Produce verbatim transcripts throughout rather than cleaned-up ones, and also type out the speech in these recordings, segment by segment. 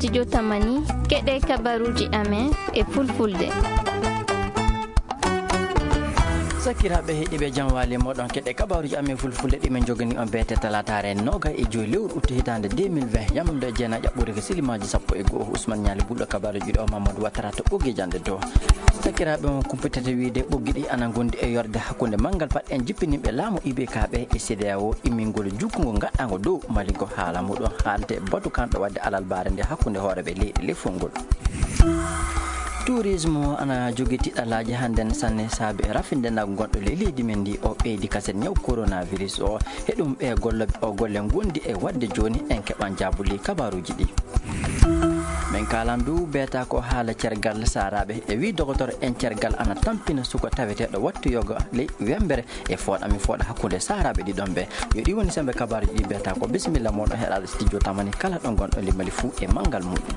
Studio Tamani, keɗe kabaruuji amen e fulfulde. Sakiraaɓe heɗiiɓe, jam waali mooɗon. Keɗe kabaruuji amen fulfulde ɗi min njogani on beete talaataare noga e joyi lewru uttu hitaande deux mille vingt, yamde jeenayi ɓuri ko silimaaji sappo e go'o. Usman Ñaali Bulɗo, kabaruuji ɗo Mamadou Watara to ɓoggi jande dow. Sakiraaɓe, on kumpitete wiide ɓoggi ɗi ana ngondi e yorde hakkunde manngal paɗe en jippinimɓe laamu I B K ɓe e C D A O immingol jukkungol gaɗɗango dow Mali ko haala muɗum haalde batu kanɗo wadde alalbaare nde hakkunde hooreɓe leyɗe lefol ngol. Tourisme ana jogii tiɗalaaji hannden sanne saabi e rafinde naggu gonɗo ley leydi men ndi o ɓeydi kaset ñaw coronavirus o. He ɗum ɓe golle, o golle ngondi e wadde jooni en keɓan jaabuli kabaruuji ɗi. Min kaalan du beeta ko haala cergal saaraaɓe e wi dogotor en cergal ana tampina suko taweteeɗo wattu yoga ley wembere e fooɗa mi fooɗa hakkunde saaraaɓe ɗiɗon ɓe. Yo ɗi woni sembe kabaruuji ɗi beeta ko bisimilla mooɗon heɗaaɗo studio Tamani kala ɗo gonɗo limali fuu e manngal muɗum.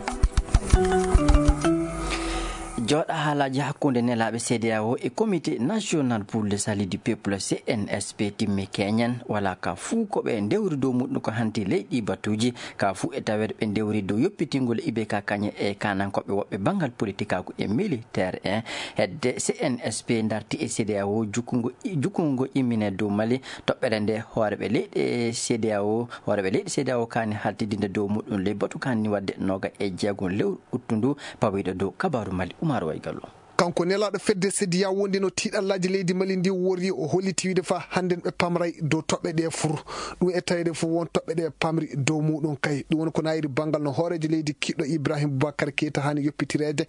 Jooɗa haalaaji hakkunde nelaaɓe C D A O e Comité National pour le Salut du Peuple, C N S P, timmi keñen. Wala ka fuu ko ɓe ndewri dow muɗum ko hanti ley ɗi batuuji. Ka fuu e taweede ɓe ndewri dow yoppitingol I B K kañe e kanankooɓe woɓɓe banngal politikaaku e militeer en. Hedde C N S P darti e C D A O jukkungo, jukkungo immine dow Mali. Toɓɓere nde hooreɓe leyɗe C D A O, hooreɓe leyɗe C D A O kaani haltidinde dow muɗum ley batu kaani wadde noga e jeegom lewru uttu ndu. Pawiɗo dow kabaru Mali, Umar Waygallo. Kanko nelaaɗo fedde C D A O nde no tiiɗallaaji leydi Mali ndi worri, o holliti wiide fa hannden ɓe pamray dow toɓɓe ɗe fur. Ɗum e taweede fof won toɓɓe ɗe pamri dow muɗum kay. Ɗum woni ko nayiri banngal no hooreejo leydi kiɗɗo Ibrahim Boubacar Keita haani yoppitireede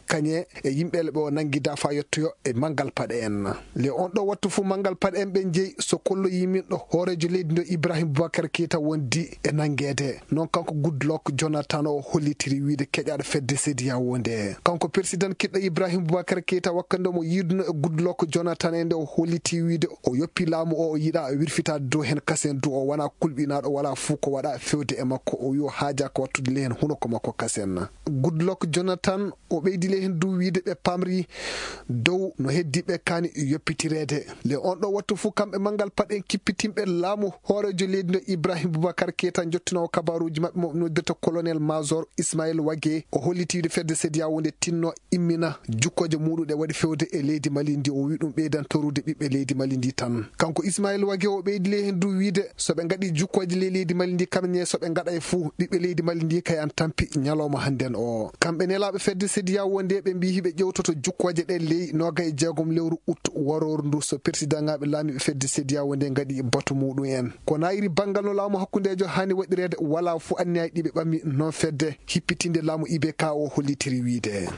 kañe e yimɓe ɓe o nanngida fa yettoyo e manngal paɗe en. Le on ɗo wattu fof manngal paɗe en ɓe jeyi so kollo yiminɗo hooreejo leydi ndo Ibrahim Boubacar Keita wondi e nanngeede. Noon kanko Goodluck Jonathan o hollitiri wiide keƴaaɗo fedde C D A O nde. Kanko persidan kiɗɗo Ibrahim Boubacar Keita wakkande mo yiiduno e Goodluck Jonathan e nde o holliti wiide o yoppi laamu o, o yiɗa wirfitaade dow heen kasen du o wona kulɓinaaɗo wala fuu ko waɗa fewde e makko. O wi o haajaaka wattude le heen hunuko makko kasen. Goodluck Jonathan o ɓeydi le heen du wiide ɓe pamri dow no heddi ɓe kaani yoppitireede. Le on ɗo wattu fof kamɓe manngal paɗe kippitinɓe laamu hooreejo leydi ndo Ibrahim Boubacar Keita jottinoowo kabaruuji maɓɓe mo noddirta colonel major Ismaël Wagé o holliti wiide fedde C D A O nde tinno immina jukkooje muɗum ɗe waɗi fewde e leydi Mali ndi. O wi ɗum ɓeydan torude ɓiɓɓe leydi Mali ndi tan. Kanko Ismaël Wagé o ɓeydi le heen du wiide so ɓe ngaɗi jukkooje ley leydi Mali ndi kamne so ɓe ngaɗa e fuu ɓiɓɓe leydi Mali ndi kay an tampi ñalawma hannden o. Kamɓe nelaaɓe fedde C D A O nde ɓe mbii hiɓe ƴewtoto jukkooje ɗe ley noga e jeegom lewru ut warooru ndu so persidanŋaaɓe laamiiɓe fedde C D A O nde ngaɗi batu muɗum en. Ko nayiri banngal no laamu hakkundeejo haani waɗireede wala fuu anniyaji ɗi ɓe ɓammi noon fedde hippitinde laamu I B K o hollitiri wiide.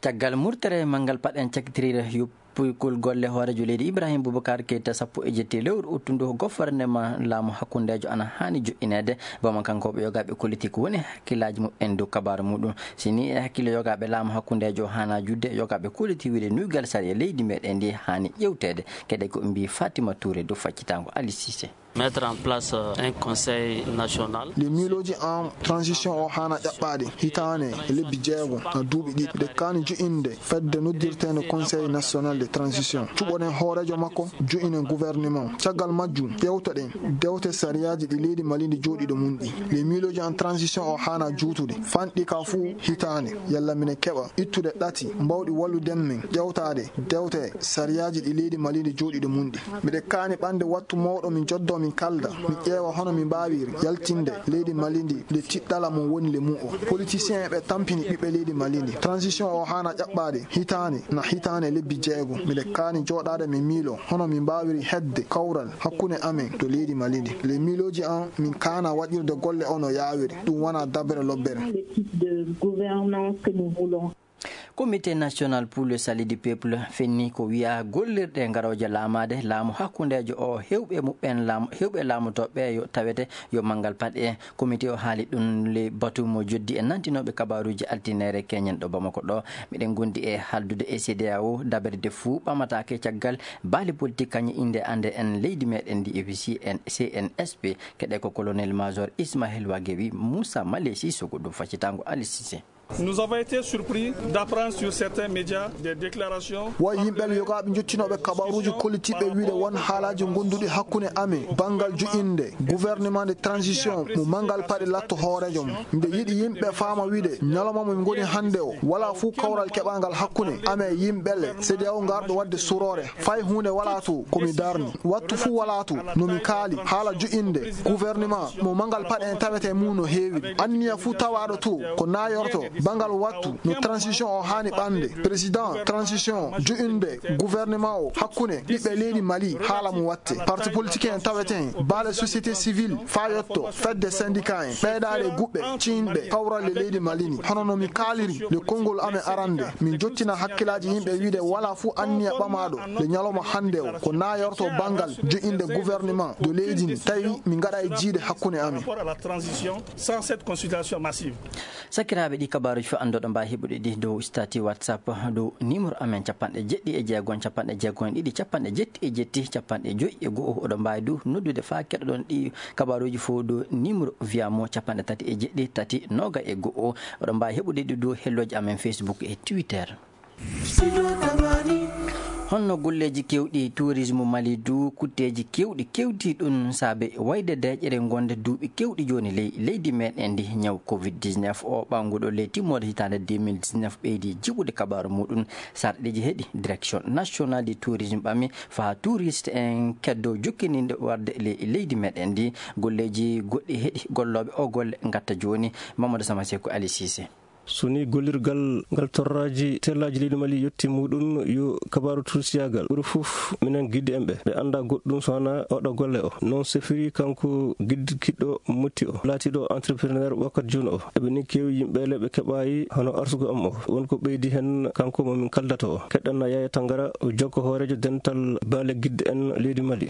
Caggal murtere manngal paɗen cakitiriire yuppugol golle hooreejo leydi Ibrahim Boubacar Keita sappo e jetti lewru uttu ndu gofornema laamu hakkundeejo ana haani joƴƴineede. Bamakankooɓe yogaaɓe politik woni hakkillaaji muɓɓen dow kabaaru muɗum. Si ni e hakkille yogaaɓe laamu hakkundeejo haana juutde, yogaaɓe koliti wiide nuygal sariya leydi meɗen ndi haani ƴewteede. Kede ko mbii Fatima Touré dow faccitaango Ali Cissé. Mettre en place, euh, un conseil national. Le miilooji en transition o haana ƴaɓɓaade hitaane e lebbi jeego na duuɓi ɗiɗi. Nde kaani jo'inde fedde noddirteende Conseil national de transition. Cuɓoɗen hooreejo makko, jo'inen gouvernement. Caggal majjum, ƴeewtoɗen dewte sariyaaji ɗi leydi Mali ndi jooɗiiɗo mum ɗi. Le miilooji en transition o haana juutude. Fanɗi ka fuu hitaande. Yalla minen keɓa ittude ɗati mbawɗi wallude men ƴeewtaade dewte sariyaaji ɗi leydi Mali ndi jooɗiiɗo mum ɗi. Miɗen kaani ɓamde wattu mawɗo min joddo min kalda, min ƴeewa hono min mbaawiri yaltinde leydi Mali ndi nde tiɗɗala mum woni le mum o. Politicien en ɓe tampini ɓiɓɓe leydi Mali ndi. Transition o haana ƴaɓɓaade hitaande na hitaande lebbi jeego. Miɗen kaani jooɗaade min miilo hono min mbaawiri heɓde kawral hakkunde amen to leydi Mali ndi. Le miilooji an min kaana waɗirde golle o no yaawiri. Ɗum wona dabbere lobbere. Le type de gouvernance que nous voulons. Comité national pour le salut du peuple fenni ko wiya gollirɗe garooje laamaade laamu hakkundeejo o hewɓe muɓɓen laamu, hewɓe laamotooɓe yo tawete yo manngal paɗe. Comité o haali ɗum le batu mo joddi e nantinooɓe kabaaruuji altinere keñen ɗo Bamako ɗo. Miɗen gondi e haaldude e C D A O daberede fuu ɓamataake caggal baali politik kañe innde annde en leydi meɗen ndi e C N, C N S P. Keɗe ko colonel major Ismaël Wagué wi Moussa Malesi Sogo ɗum faccitaango Ali Cissé. Nous avons été surpris d'apprendre sur certains médias des déclarations. Wo yimɓe yogaaɓe njottinooɓe kabaruuji kollitiiɓe wiide won haalaaji ngonduɗi hakkunde amen, banngal joƴƴinde gouvernement de transition mo manngal paɗe latto hooreejo mum. Nde yiɗi yimɓe faama wiide ñalawma mo min ngoni hannde o, walaa fuu kawral keɓangal hakkunde amen e yimɓe le C D A O ngarɗo waɗde suroore. Fay huunde walaa to ko mi darni. Wattu fuu walaa to no mi kaali haala joƴƴinde gouvernement mo manngal paɗe en tawete mum no heewi. Anniya fuu tawaaɗo to ko naayorto banngal wattu no transition o haani ɓande. Président transition joƴƴinde gouvernement o hakkunde ɓiɓɓe leydi Mali haala mo watte. Parti politique en tawete en, baale société civile faa yotto fedde syndicat en, ɓeydaare guɓɓe ciinɓe kawralle leydi Mali ni. Hono no mi kaaliri le konngol amen arande, min jottina hakkilaaji yimɓe wiide walaa fuu anniya ɓamaaɗo le ñalawma hannde o ko naayorto banngal joƴƴinde gouvernement de leydi ndi, tawi min ngaɗa e jiide hakkunde amen. Rapport à la transition sans cette consultation massive. Sakiraaɓe, ɗi kabaaruuji fof annduɗo mbaawi heɓude ɗi dow statut WhatsApp, dow numéro amen capanɗe jeɗɗi e jeegom, capanɗe jeegom e ɗiɗi, capanɗe jetti e jetti, capanɗe joyi e go'o. Oɗo mbaawi du noddude faa keɗoɗon ɗi kabaaruuji fof dow numéro via mo capanɗe tati e jeɗɗi, tati, noga e go'o. Oɗo mbaawi heɓude ɗi dow hellooji amen Facebook e Twitter. Honno golleeji keewɗi tourisme Mali du kutteeji keewɗi kewti ɗum saabe wayde deeƴere ngonde duuɓi keewɗi jooni ley leydi meɗen ndi? Ñaw covid dix-neuf o ɓannguɗo ley timmoode hitaande deux mille dix-neuf ɓeydi jiɓude kabaaru muɗum. Sarɗeeji heɗi direction nationale du tourisme ɓami faa touriste en keddo jokkininde warde ley leydi meɗen ndi. Golleeji goɗɗi heɗi gollooɓe o golle ngatta jooni. Mamadou Sama Seku, Ali Cissé. So ni gollirgal ngal torraaji tellaaji leydi Mali yetti muɗum yo kabaaru tursiyaagal ɓuri fof minen gidde en ɓe, ɓe annda goɗɗum so wona oɗo golle o. Noon sefiri kanko gidde kiɗɗo motti o, laatiiɗo entrepreneur wakkati jooni o. Eɓe ni keewi yimɓe le ɓe keɓaayi hono arsugo am o. Won ko ɓeydi heen kanko mo min kaldata o. Keɗɗanna Yaya Tangara, o jokko hooreejo dental baale gidde en leydi Mali.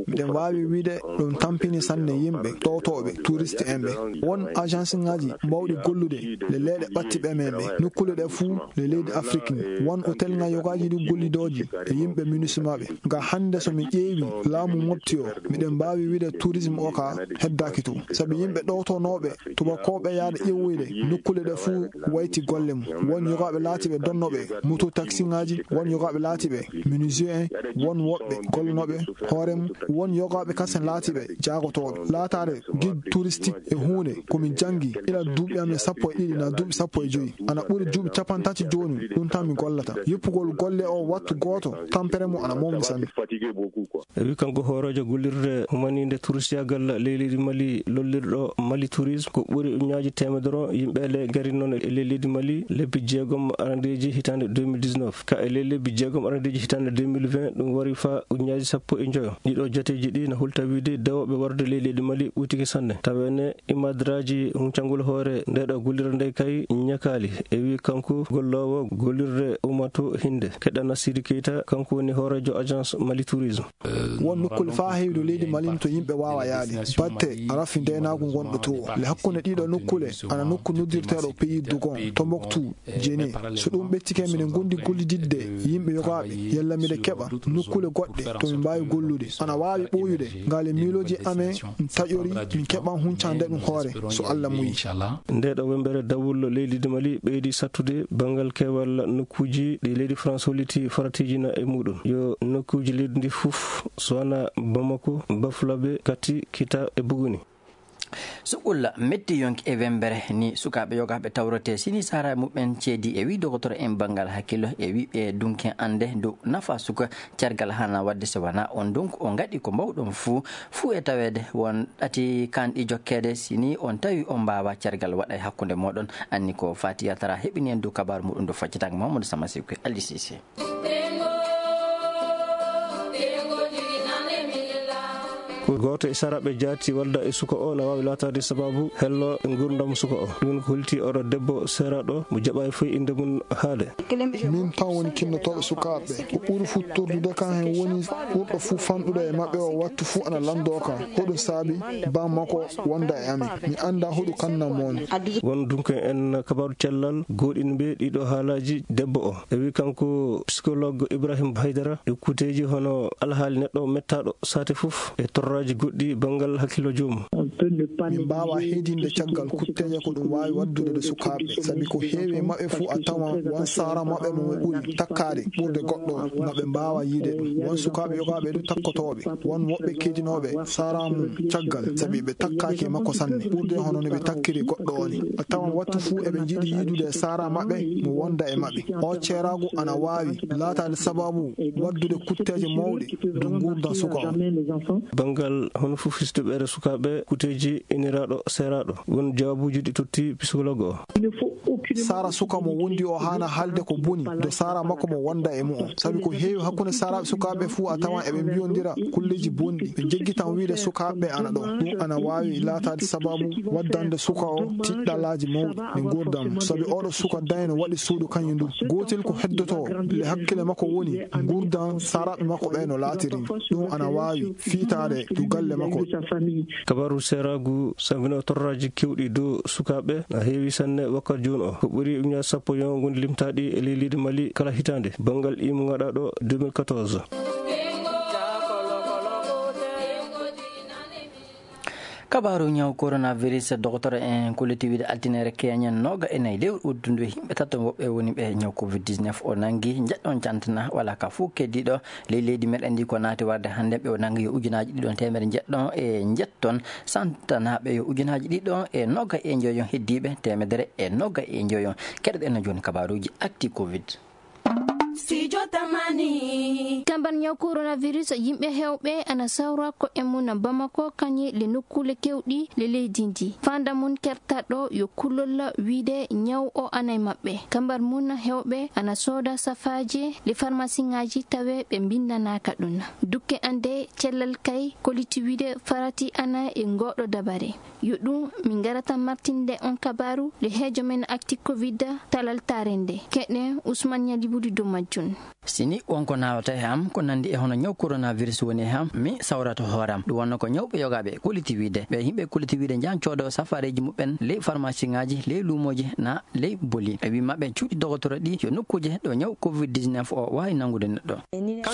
Miɗen waawi wiide ɗum tampini sanne yimɓe ɗowtooɓe, touriste en ɓe. Won agence ŋaaji mawɗi gollude le leeɗe ɓatti ɓe men ɓe. Nokkuule ɗe fuu le leydi Afrik ni. Won hôtel ŋaaji yogaaji ɗi gollidooji e yimɓe MINUSMA ɓe. Nga hannde so mi ƴeewi laamu mofti o, miɗen mbaawi wiide tourisme o ka heddaaki to. Sabi yimɓe ɗowtonooɓe tubakooɓe yaade ƴeewoyde nokkuule ɗe fuu wayti golle mum. Won yogaaɓe laatiiɓe donnooɓe moto taxi ŋaaji, won yogaaɓe laatiiɓe menuisier en, won woɓɓe gollonooɓe hoore mum, won yogaaɓe kasen laatiiɓe jaagotooɓe. Laataade guide touristique e huunde ko min janngi ila duuɓi amen sappo e ɗiɗi naa duuɓi sappo e joyi. Ana ɓuri duuɓi capanɗe tati jooni ɗum tan mi gollata. Yippugol golle o wattu gooto, tampere mum ana mawni sanne. E wi kanko hooreejo gollirde humaniinde turisiyaagal ley leydi Mali lollirɗo Mali Tourisme, ko ɓuri ujunnaaji teemedere yimɓe le garinoo e ley leydi Mali lebbi jeegom arandeeji hitaande deux mille dix-neuf. Ka e ley lebbi jeegom arandeeji hitaande deux mille vingt, ɗum wari faa ujunnaaji sappo e njoyo. Ɗiɗo joteeji ɗi na hulta wiide dewooɓe warde ley leydi Mali ɓuytike sanne. Taweene imadraaji huncangol hoore nde ɗo gollirde nde kay ñakaali. E wi kanko golloowo gollirde Umato Hinde. Keɗɗa Nasiri Keita, kanko woni hooreejo agence Mali Tourisme. Won nokkuule faa heewi to leydi Mali to yimɓe waawa yaade. Batte rafi ndeenaagu ngonɗo to. Le hakkunde ɗiɗo nokkuule, ana nokku noddirteeɗo Pays Dougon, Tombouctou, Djenné. So ɗum ɓettike, miɗen ngondi gollididde yimɓe yogaaɓe, yalla miɗen keɓa nokkuule goɗɗe to min mbaawi gollude. Ana waawi ɓooyude, ngale miilooji amen taƴori, min keɓa huncande ɗum hoore, so Allah muyi. Nde ɗo wembere dawol leydi Mali ɓeydi sattude banngal keewal nokkuuji ɗi leydi France holliti faratiiji na e muɗum. Yo nokkuuji leydi ndi fof, so wona Bamako, Bafulabe, Kati, Kita e Buguni. Suɓɓulla metti yonki e wembere ni sukaaɓe yogaaɓe tawrete sini sara muɓɓen ceedi e wi dogotoro en banngal hakkillo e wi ɓe dunken annde dow nafa suka cergal hana waɗde so wona on donc o ngaɗi ko mbawɗon fuu fuu e taweede won ɗati kanɗi jokkeede sini on tawi on mbaawa cergal waɗa e hakkunde mooɗon anni ko Fatiya Tara heɓini en dow kabaaru muɗum dow faccitaango Mamadou Sama Sikku e Ali Cissé. Ko gooto e saraaɓe jaati walda e suka o na waawi laataade sabaabu hello e nguurndam suka o. Ɗum ko holti oɗo debbo seeraaɗo mo jaɓaay foy innde mum haale. Min tan woni kinnotooɗo sukaaɓe. Ko ɓuri fuu tordude kam heen woni ɓurɗo fuu fanɗude e maɓɓe o wattu fuu ana lanndoo kam. Hoɗum saabi baa makko wonda e amin. Mi anndaa hoɗum kannam mo woni. Won dunko en kabaaru cellal gooɗinɓe ɗiɗo haalaaji debbo o. E wi kanko psychologue Ibrahim Haydara e kuuteeji hono alhaali neɗɗo mettaaɗo saate fof e torra Aji goɗɗi banngal hakkillo joomum. Min mbaawa heedinde caggal kutteeje ko ɗum waawi waɗdude e sukaaɓe, sabi ko heewi e maɓɓe fuu a tawan won sara maɓɓe mo ɓuri takkaade ɓurde goɗɗo, ngam ɓe mbaawa yiide ɗum. Won sukaaɓe yogaaɓe du takkotooɓe, won woɓɓe keedinooɓe sara mum caggal, sabi ɓe takkaaki e makko sanne, ɓurde hono no ɓe takkiri goɗɗo o ni. A tawan wattu fuu eɓe njiɗi yiidude e sara maɓɓe mo wonda e maɓɓe. O ceeraagu ana waawi laataade sabaabu waɗdude kutteeje mawɗe dow nguurndam suka o. Banngal hono fof hisde ɓeere sukaaɓe kuteeji iniraaɗo seeraaɗo, won jawaabuuji ɗi totti psychologue o. Sara suka mo wondi o haana haalde ko boni dow sara makko mo wonda e mu'o, sabi ko heewi hakkunde saraaɓe sukaaɓe fuu a tawan eɓe mbiyondira kulleeji bonɗi, ɓe njejjitan wiyde sukaaɓe ana ɗo. Ɗum ana waawi laataade sabaabu waddande suka o tiɗɗalaaji mawɗi e nguurndam, sabi oɗo suka dayno waɗi suudu kañum du. Gootel ko heddoto le hakkille makko woni nguurndam saraaɓe makko ɓe no laatiri. Ɗum ana waawi fiitaade dow galle makko. Kabaaru seeraagu sambino torraaji keewɗi dow sukaaɓe na heewi sanne wakkati jooni o. Ko ɓuri ujunaaji sappo yon ngoni limtaaɗi e ley leydi Mali kala hitaande, banngal imu ngaɗaaɗo deux mille quatorze. Kabaaru ñaw coronavirus, dokotoro en kulliti wiide altine keñen nooga e nayi lewru uddundu e yimɓe tato woɓɓe woni ɓe ñaw covid dix-neuf o nangi. Njeɗɗon cantana wala ka fuu keddiiɗo ley leydi meɗen ndi ko naati warde hannde ɓe o nangi yo ujunaaji ɗiɗon teemere njeɗɗon e njetton, santanaaɓe yo ujunaaji ɗiɗon e nooga e njoyon heddiiɓe teemedere e nooga e njoyon. Keɗoɗen no jooni kabaaruuji acti covid. Studio Tamani. Kambar ñaw coronavirus, yimɓe heewɓe ana sawra ko'e mum Bamako, kañe le nokkuule keewɗi le leydi ndi. Fanda mum kertaɗo yo kulol wiide ñaw o ana e maɓɓe. Kambar mum heewɓe ana sooda safaaje le farmasiŋaaji tawe ɓe mbindanaaka ɗum. Dukke ande cellal kay koliti wiide farati ana e ngoɗo dabare. Yo ɗum min ngarata martinde on kabaaru le heejo men acti covid talaltaare nde. Keɗen Ousmane Ñalibudi dow majjum. Sini wonko naawata e am ko nandi e hono ñaw coronavirus woni e am, mi sawrato hooram. Ɗum wonno ko ñawɓe yogaaɓe koliti wiide. Ɓe yimɓe koliti wiide njahan coodo safareeji muɓɓen ley farmasiŋaaji, ley luumooji na ley boli. E wi maɓɓe cuuɗi dogotoro ɗi yo nokkuuje ɗo ñaw covid dix-neuf o waawi nangude neɗɗo.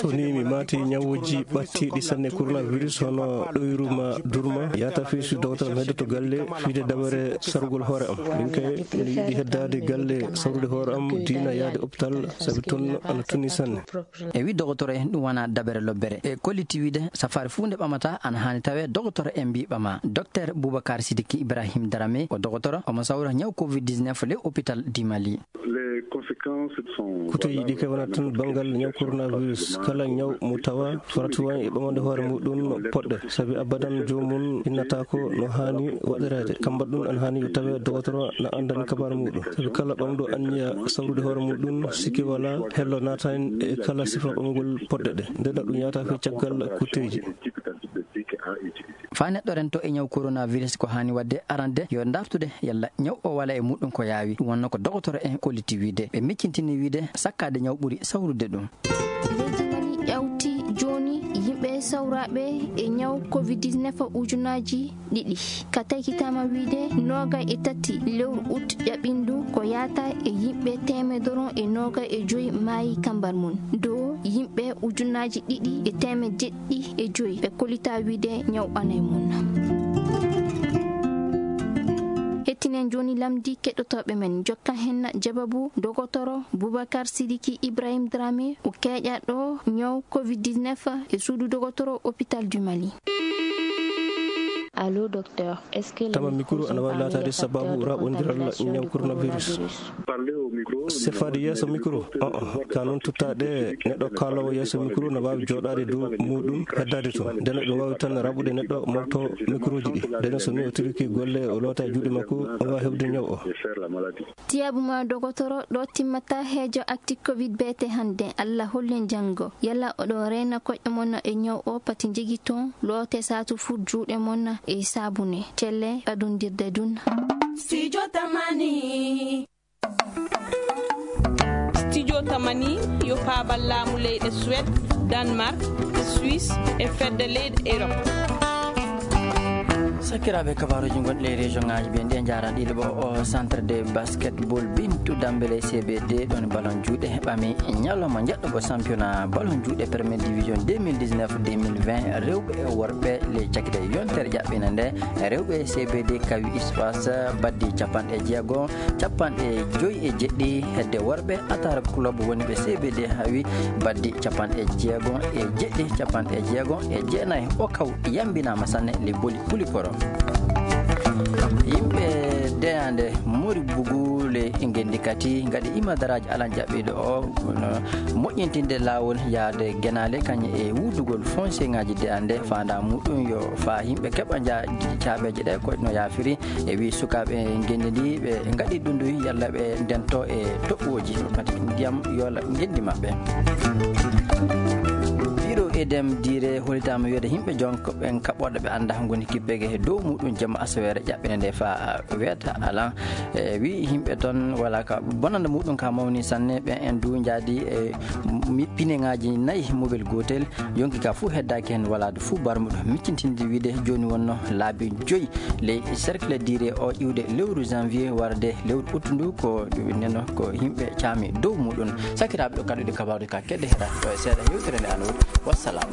So ni mi maati ñawuuji ɓattiiɗi sanne coronavirus hono ɗoyru ma durma, yahata fii si dogotoro mi heddoto galle fiide dabare sarugol hoore am. Min kay mi yiɗi heddaade galle sawrude hoore am diina yaade hôpital sabi toon ana tuni sanne. E wi dogotoro en ɗum wona dabere lobbere. E kolliti wiide safaari fuu nde ɓamata ana haani tawe dogotoro en mbi ɓama. Docteur Boubacar Sidiki Ibrahim Darame o dogotoro omo sawra ñaw covid dix-neuf ley hôpital du Mali. Kuteeji ɗi kay wonata tan banngal ñaw coronavirus. Kala ñaw mo tawa farata won e ɓamande hoore muɗum poɗɗe, sabi abadan joomum innataako no haani waɗireede. Kambar ɗum ana haani yo tawe dogotoro na anndani kabaru muɗum, sabi kala ɓamɗo anniya sawrude hoore muɗum, sikke wala hello naata heen e kala sifa ɓamgol poɗɗe ɗe. Nde ɗum yahata fii caggal kuteeji. Faa neɗɗo rento e ñaw coronavirus, ko haani waɗde arande yo dartude yalla ñaw o wala e muɗum ko yaawi. Ɗum wonno ko dogotoro en kolliti wiide. Ɓe miccintini wiide sakkaade ñaw ɓuri sawrude ɗum. Leydi Mali ƴawti jooni yimɓe sawraaɓe e ñaw covid dix-neuf ujunaaji ɗiɗi. Ka taykitaama wiide noogay e tati lewru ut ƴaɓindu ko yahata e yimɓe teemedere e noogay e joyi maayi kambar mum. Dow yimɓe ujunaaji ɗiɗi e teemedde jeɗɗi e joyi ɓe kollitaa wiide ñaw ana e mum. Hettinen jooni lamndi keɗotooɓe men, jokka hen jababu dogotoro Boubacar Sidiki Ibrahim Dramé, o keeƴaɗo ñaw covid dix-neuf e suudu dogotoro hôpital du Mali. Allô, docteur, est-ce que le micro... Tama mikro ana waawi laataade sababu raɓondiral ñaw coronavirus. Sefaade yeeso mikro? O'o, ka noon tuttaade neɗɗo kaaloowo yeeso mikro na waawi jooɗaade dow muɗum, heddaade toon. Ndeen ɗum waawi tan raɓude neɗɗo mofto mikrooji ɗi. Ndeen so ni o tiriki golle, o loota juuɗe makko, o waawi heɓde ñaw o. Tiyaabu ma dogotoro, ɗo timmata heejo acti covid beete hannde. Allah hollen janngo. Yalla oɗo reena koƴe mon e ñaw o, pati njegi toon, loote saatu fur juuɗe mon e saabune. Celle ɓadondirde dun. Studio Tamani. Studio Tamani yo paabal laamu leyɗe Suède, Danemark, Suisse e fedde leyɗe Europe. Sakiraaɓe, kabaaruuji gonɗi e région ŋaaji ɓe nde njaaraɗiiɗo ɓo o centre de basketball Bintu Dambele C B D ɗon ballon juuɗe ɓami ñalawma njaɗɗo ɓo championnat ballon juuɗe première division deux mille dix-neuf deux mille vingt rewɓe e worɓe. Ley cakite yontere ƴaɓɓina nde, rewɓe C B D kawi espace baddi capanɗe jeego, capanɗe joyi e jeɗɗi hedde worɓe. Atar club woni ɓe C B D hawi baddi capanɗe jeego e jeɗɗi, capanɗe jeego e jeenayi. O kaw yambinaama sanne le boli puli koro. Yimɓe deyande mori bugule ngendi kati ngadi imadaraaji alan jaɓɓiɗo o, no moƴƴintinde laawol yaade genaale kañe e wudugol foncier ŋaaji deyande. Faanda muɗum yo faa yimɓe keɓa nja caabeeje ɗe ko no yaafiri. E wi sukaaɓe ngendi ndi ɓe ngaɗi ɗum ndu yalla ɓe ndento e toɓɓooji mati ndiyam yoola ngendi maɓɓe. Biro edem dire holitaama wiyde yimɓe jonko ɓen kaɓɓoɗo ɓe annda ngoni kibbege he dow muɗum jamma asaweere ƴaɓɓene nde fa weeta alan. E wi yimɓe toon wala ka bonande muɗum ka mawni sanne ɓen en du njaadi e mi- pine ŋaaji nayi mobel gootel. Yonki ka fuu heddaaki heen walaade fuu barmuɗo miccintinde wiide jooni wonno laabi joyi ley cercle dire o iwde lewru janvier warde lewru août ndu ko neno ko yimɓe caami dow muɗum. Sakiraaɓe, ɗo kaɗuɗe kabaaruɗe ka kedde heɗa ɗo e seeɗa yewtere nde alawol. Wassalam.